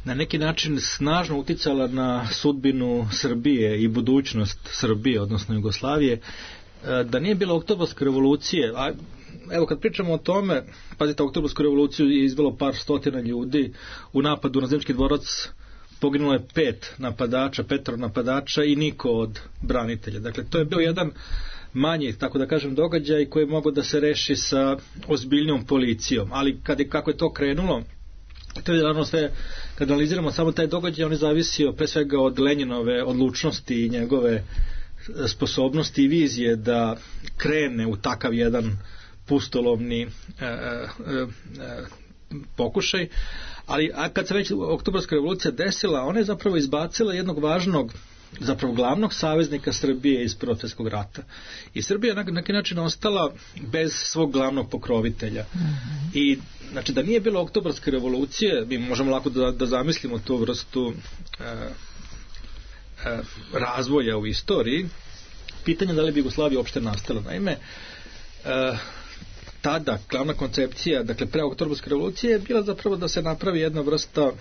na neki način snažno uticala na sudbinu Srbije i budućnost Srbije, odnosno Jugoslavije. Da nije bilo oktobarske revolucije, a evo kad pričamo o tome, pazite, oktobarsku revoluciju je izvelo par stotina ljudi, u napadu na Zimski dvorac poginulo je 5 napadača i niko od branitelja. Dakle, to je bio jedan manji, tako da kažem, događaj koji je mogao da se reši sa ozbiljnom policijom, ali kako je to krenulo, to je naravno sve, kad analiziramo samo taj događaj, on je zavisio pre svega od Lenjinove odlučnosti i njegove sposobnosti i vizije da krene u takav jedan pustolovni pokušaj, ali kad se već oktobarska revolucija desila, ona je zapravo izbacila jednog važnog, zapravo glavnog saveznika Srbije iz Prvog svjetskog rata. I Srbija na neki način ostala bez svog glavnog pokrovitelja. I znači da nije bilo oktobarske revolucije, mi možemo lako da zamislimo tu vrstu razvoja u istoriji. Pitanje da li bi Jugoslavija uopšte nastala. Naime, tada glavna koncepcija, dakle pre oktobarske revolucije, je bila zapravo da se napravi jedna vrsta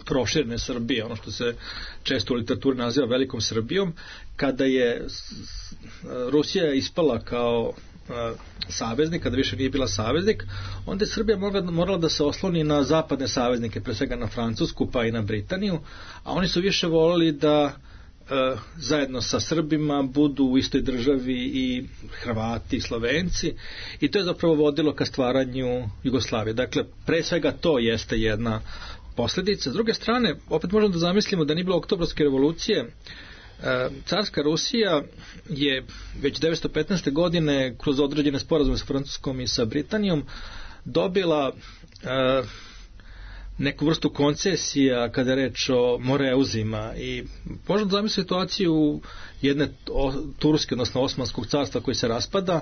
proširene Srbije, ono što se često u literaturi naziva velikom Srbijom, kada je Rusija ispala kao saveznik, kada više nije bila saveznik, onda je Srbija morala da se osloni na zapadne saveznike, pre svega na Francusku pa i na Britaniju, a oni su više volili da zajedno sa Srbima budu u istoj državi i Hrvati i Slovenci, i to je zapravo vodilo ka stvaranju Jugoslavije. Dakle, pre svega to jeste jedna posljedica. S druge strane, opet možemo da zamislimo da nije bilo oktobarske revolucije. Carska Rusija je već 1915. godine kroz određene sporazume sa Francuskom i sa Britanijom dobila neku vrstu koncesija kada je reč o Moreuzima, i možemo da zamisliti situaciju jedne turske, odnosno Osmanskog carstva koji se raspada,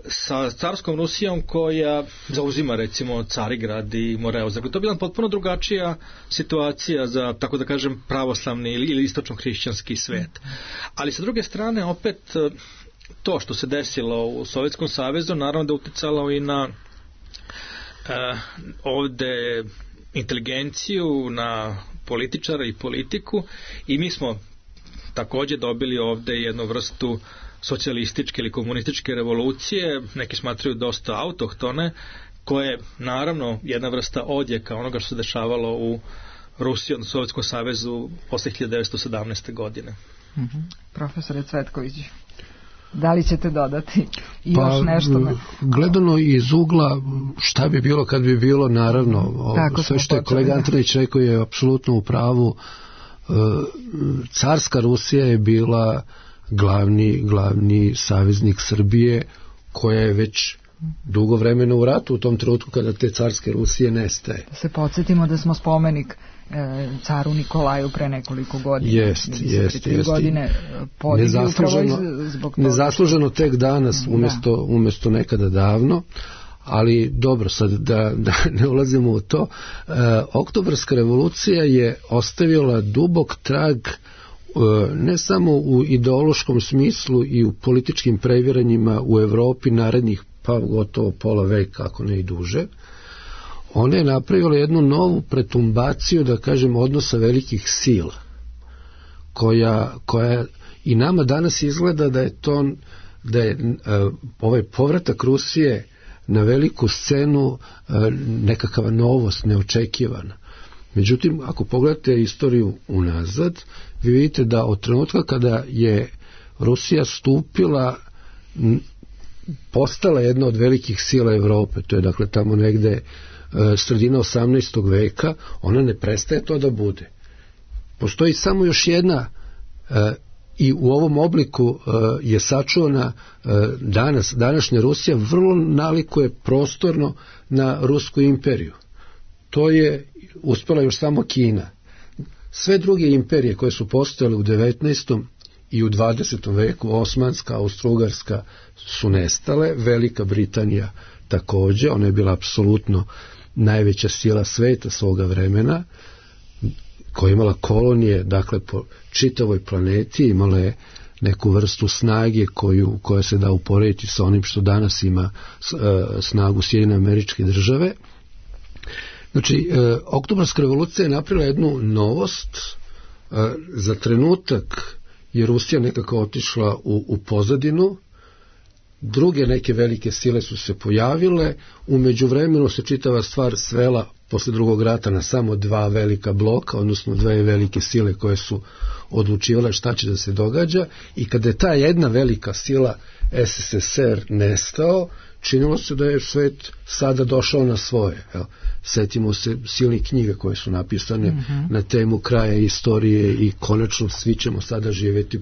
sa carskom Rusijom koja zauzima recimo Carigrad i Moreuz. Dakle, to je bila potpuno drugačija situacija za, tako da kažem, pravoslavni ili istočno-hrišćanski svet. Ali sa druge strane, opet to što se desilo u Sovjetskom savezu naravno da uticalo i na ovde inteligenciju, na političara i politiku, i mi smo takođe dobili ovde jednu vrstu socijalističke ili komunističke revolucije, neki smatraju dosta autohtone, koje je naravno jedna vrsta odjeka onoga što se dešavalo u Rusiji, odnosno Sovjetskom savezu posle 1917. godine.
Profesore Cvetković, da li ćete dodati još nešto?
Gledano iz ugla šta bi bilo kad bi bilo, naravno, sve što je kolega Antonić rekao je apsolutno u pravu. Carska Rusija je bila glavni saveznik Srbije, koja je već dugo vremena u ratu u tom trenutku kada te carske Rusije nestaje.
Da se podsjetimo da smo spomenik caru Nikolaju pre nekoliko godina.
Jest. Nezasluženo tek danas umjesto nekada davno, ali dobro, sad da ne ulazimo u to. Oktobarska revolucija je ostavila dubok trag ne samo u ideološkom smislu i u političkim previranjima u Evropi narednih pa gotovo pola veka, ako ne i duže. Ona je napravila jednu novu pretumbaciju, da kažem, odnosa velikih sila, koja i nama danas izgleda da je ovaj povratak Rusije na veliku scenu nekakva novost, neočekivana. Međutim, ako pogledate istoriju unazad, vi vidite da od trenutka kada je Rusija postala jedna od velikih sila Evrope, to je dakle tamo negde sredina 18. veka, ona ne prestaje to da bude. Postoji samo još jedna i u ovom obliku je sačuvana današnja Rusija, vrlo nalikuje prostorno na Rusku imperiju. To je uspjela još samo Kina. Sve druge imperije koje su postojale u 19. i u 20. veku, Osmanska, Austro-Ugarska, su nestale, Velika Britanija također, ona je bila apsolutno najveća sila sveta svoga vremena, koja je imala kolonije, dakle, po čitavoj planeti, imala je neku vrstu snage koja se da uporediti sa onim što danas ima snagu Sjedinjene Američke Države. Znači, Oktobarska revolucija je napravila jednu novost. Za trenutak je Rusija nekako otišla u pozadinu, druge neke velike sile su se pojavile, u međuvremenu se čitava stvar svela posle drugog rata na samo dva velika bloka, odnosno dve velike sile koje su odlučivale šta će da se događa, i kada je ta jedna velika sila SSSR nestao, činilo se da je svet sada došao na svoje. Setimo se silnih knjiga koje su napisane na temu kraja istorije i konačno svi ćemo sada živjeti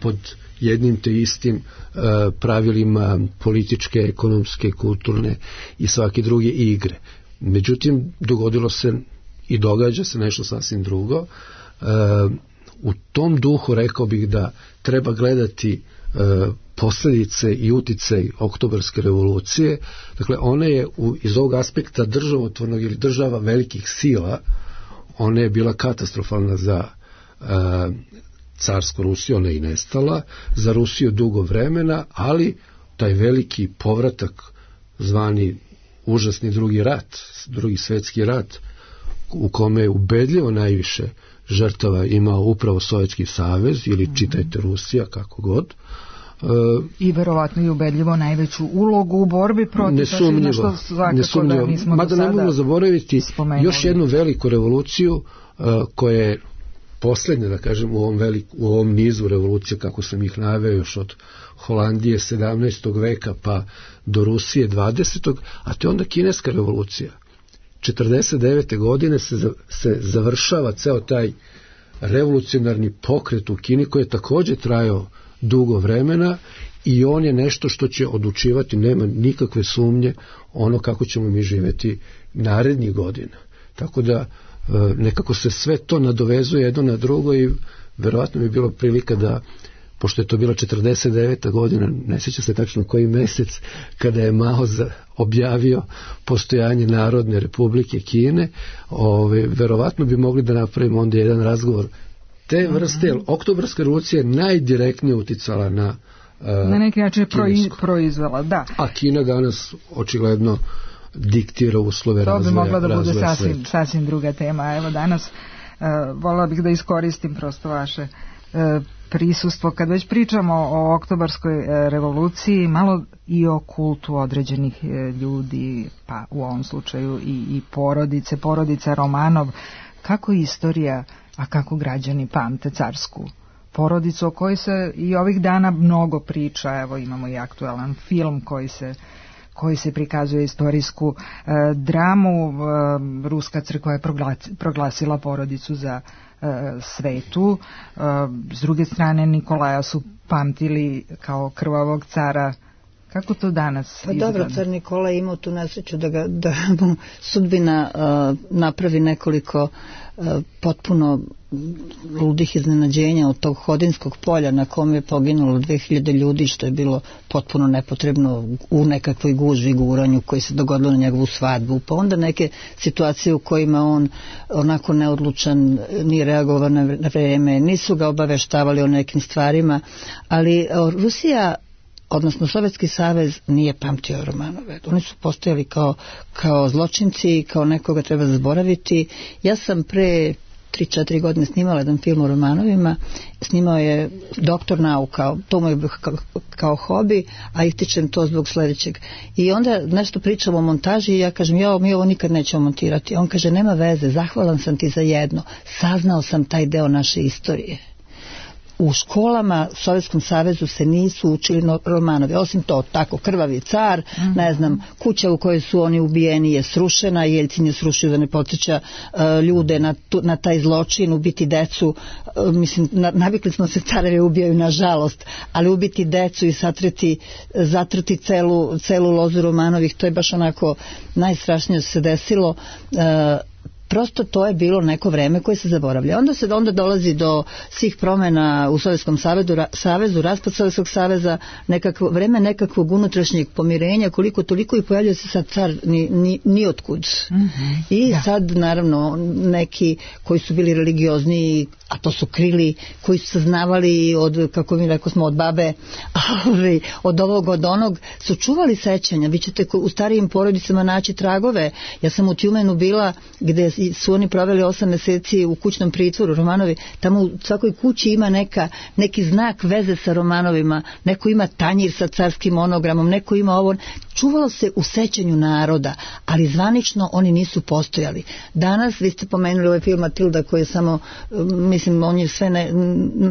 pod jednim te istim pravilima političke, ekonomske, kulturne i svake druge igre. Međutim, dogodilo se i događa se nešto sasvim drugo. U tom duhu rekao bih da treba gledati posljedice i uticaj Oktobarske revolucije. Dakle, ona je iz ovog aspekta državotvornog ili država velikih sila, ona je bila katastrofalna za carsku Rusiju, ona je i nestala, za Rusiju dugo vremena, ali taj veliki povratak zvani užasni drugi svjetski rat, u kome je ubedljivo najviše žrtava imao upravo Sovjetski savez ili čitajte Rusija, kako god.
I verovatno i ubedljivo najveću ulogu u borbi protiv
nesumnjivo. Mada ne možemo zaboraviti još jednu veliku revoluciju koja je posljednja, da kažem, u ovom nizu revolucija, kako sam ih naveo, još od Holandije 17. veka pa do Rusije 20. a to je onda kineska revolucija. 49. godine se završava ceo taj revolucionarni pokret u Kini, koji je također trajao dugo vremena, i on je nešto što će odlučivati, nema nikakve sumnje, ono kako ćemo mi živjeti narednih godina. Tako da nekako se sve to nadovezuje jedno na drugo, i verovatno bi bilo prilika da, pošto je to bila 49. godina, ne sjeća se tačno koji mjesec, kada je Mao objavio postojanje Narodne Republike Kine, verovatno bi mogli da napravimo onda jedan razgovor te vrste. Oktobarska revolucija je najdirektnije uticala na
neki način proizvela, da.
A Kina danas očigledno diktira uslove razvoja.
To bi mogla da bude sasvim druga tema. Evo danas voljela bih da iskoristim prosto vaše prisustvo, kad već pričamo o oktobarskoj revoluciji, malo i o kultu određenih ljudi, pa u ovom slučaju i porodica Romanov. Kako istorija, a kako građani pamte carsku porodicu, o kojoj se i ovih dana mnogo priča. Evo, imamo i aktualan film koji se prikazuje istorijsku dramu. Ruska crkva je proglasila porodicu za svetu. S druge strane, Nikolaja su pamtili kao krvavog cara. Kako to danas izgleda?
Pa dobro, car Nikola je imao tu nesreću da mu sudbina napravi nekoliko potpuno ludih iznenađenja od tog Hodinskog polja na kom je poginulo 2000 ljudi, što je bilo potpuno nepotrebno u nekakvoj gužvi, guranju koji se dogodilo na njegovu svadbu. Pa onda neke situacije u kojima on onako neodlučan, nije reagovao na vreme, nisu ga obaveštavali o nekim stvarima, ali Rusija, odnosno Sovjetski savez, nije pamtio Romanove. Oni su postojali kao zločinci, kao nekoga treba zaboraviti. Ja sam pre 3-4 godine snimala jedan film o Romanovima. Snimao je doktor nauka, to mu je kao hobi, a ističem to zbog sljedećeg. I onda nešto pričamo o montaži i ja kažem, mi ovo nikad nećemo montirati. On kaže, nema veze, zahvalan sam ti za jedno, saznao sam taj deo naše istorije. U školama u Sovjetskom savezu se nisu učili Romanovi, osim to, tako, krvavi car, ne znam, kuća u kojoj su oni ubijeni je srušena, Jeljcin je srušio da ne podsjeća ljude na taj zločin, ubiti decu, mislim, navikli smo se, carevi ubijaju nažalost, ali ubiti decu i zatrti celu lozu Romanovih, to je baš onako najstrašnije se desilo. Prosto to je bilo neko vreme koje se zaboravlja. Onda dolazi do svih promjena u Sovjetskom savezu, raspad Sovjetskog saveza, vreme nekakvog unutrašnjeg pomirenja, koliko toliko, i pojavljuje se sad car ni otkud. I sad naravno neki koji su bili religiozni, a to su krili, koji su saznavali od, kako mi rekao smo, od babe, od ovog, od onog, su čuvali sećanja. Vi ćete u starijim porodicama naći tragove. Ja sam u Tjumenu bila, gde su oni proveli 8 mjeseci u kućnom pritvoru, Romanovi. Tamo u svakoj kući ima neki znak veze sa Romanovima, neko ima tanjir sa carskim monogramom, neko ima ovo. Čuvalo se u sećanju naroda, ali zvanično oni nisu postojali. Danas, vi ste pomenuli ovaj film Matilda, koji je samo, mislim, on je sve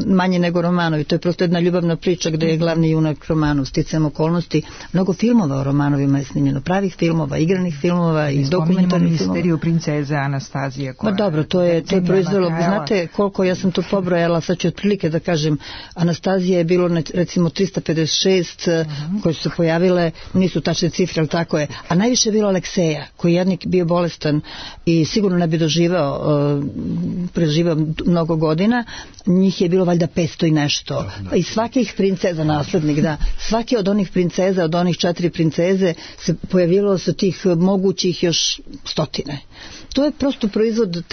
manje nego Romanovi. To je prosto jedna ljubavna priča gdje je glavni junak Romanov, sticajem okolnosti. Mnogo filmova o Romanovima je snimljeno, pravih filmova, igranih filmova i dokumentarnih filmova.
Misteriju princeze Anastazije.
Ma dobro, to je proizvelo, znate koliko, ja sam to pobrojala, sad ću otprilike da kažem, Anastazija je bilo recimo 356 koje su se pojavile, nisu tačne cifre, ali tako je, a najviše je bilo Alekseja, koji jednik bio bolestan i sigurno ne bi preživao mnogo godina, njih je bilo valjda 500 i nešto. I svakih princeza, naslednik, da, svaki od onih princeza, od onih 4 princeze se pojavilo sa tih mogućih još stotine. To je prosto proizvod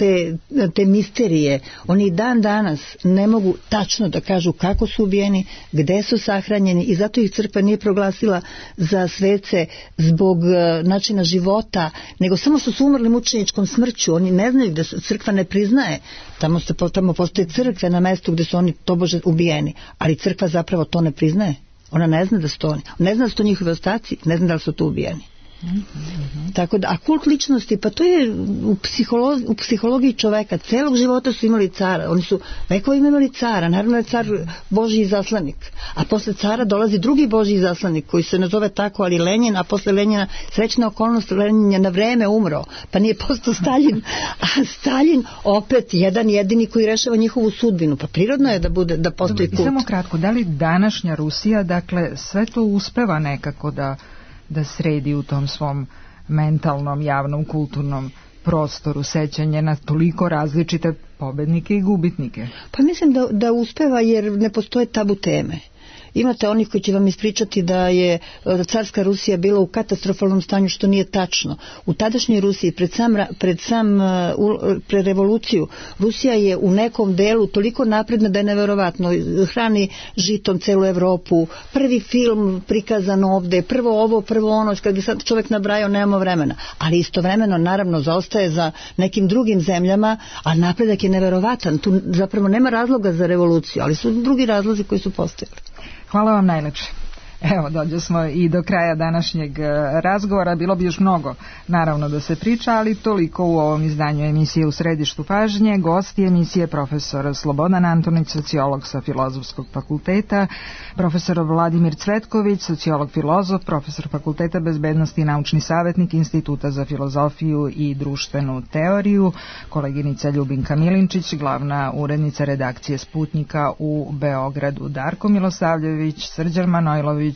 te misterije. Oni dan danas ne mogu tačno da kažu kako su ubijeni, gde su sahranjeni, i zato ih crkva nije proglasila za svece zbog načina života, nego samo su umrli mučeničkom smrću. Oni ne znaju da crkva ne priznaje. Tamo postoje crkve na mestu gde su oni tobože ubijeni, ali crkva zapravo to ne priznaje. Ona ne zna da su to oni. Ne zna da su to njihove ostaci, ne zna da li su tu ubijeni. Tako da, a kult ličnosti, pa to je u psihologiji čoveka, celog života su imali cara, oni su vekovima imali cara, naravno je car Božji izaslanik, a posle cara dolazi drugi Božji izaslanik koji se nazove tako, ali Lenjin, a posle Lenjina, srećna okolnost, Lenjin je na vreme umro, pa nije postao Staljin, a Staljin opet jedan jedini koji rešava njihovu sudbinu, pa prirodno je da postoji kult.
Samo kratko, da li današnja Rusija, dakle, sve to uspeva nekako da sredi u tom svom mentalnom, javnom, kulturnom prostoru sećanje na toliko različite pobednike i gubitnike?
Pa mislim da uspeva, jer ne postoje tabu teme. imate onih koji će vam ispričati da je carska Rusija bila u katastrofalnom stanju, što nije tačno. U tadašnjoj Rusiji pred revoluciju Rusija je u nekom delu toliko napredna da je neverovatno. Hrani žitom celu Evropu, prvi film prikazan ovde, prvo ovo, prvo ono, kad bi sad čovjek nabrajao, nemamo vremena. Ali istovremeno, naravno, zaostaje za nekim drugim zemljama, a napredak je neverovatan. Tu zapravo nema razloga za revoluciju, ali su drugi razlozi koji su postojali.
Hvala vam najlepše. Evo, dođe smo i do kraja današnjeg razgovora. Bilo bi još mnogo, naravno, da se priča, ali toliko u ovom izdanju emisije U središtu pažnje. Gosti emisije profesor Slobodan Antonić, sociolog sa Filozofskog fakulteta, profesor Vladimir Cvetković, sociolog filozof, profesor Fakulteta bezbednosti i naučni savjetnik Instituta za filozofiju i društvenu teoriju, koleginica Ljubinka Milinčić, glavna urednica redakcije Sputnika u Beogradu, Darko Milosavljević, Srđan Manojlović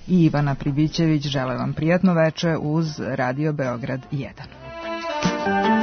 i Ivana Pribićević žele vam prijatno veče uz Radio Beograd 1.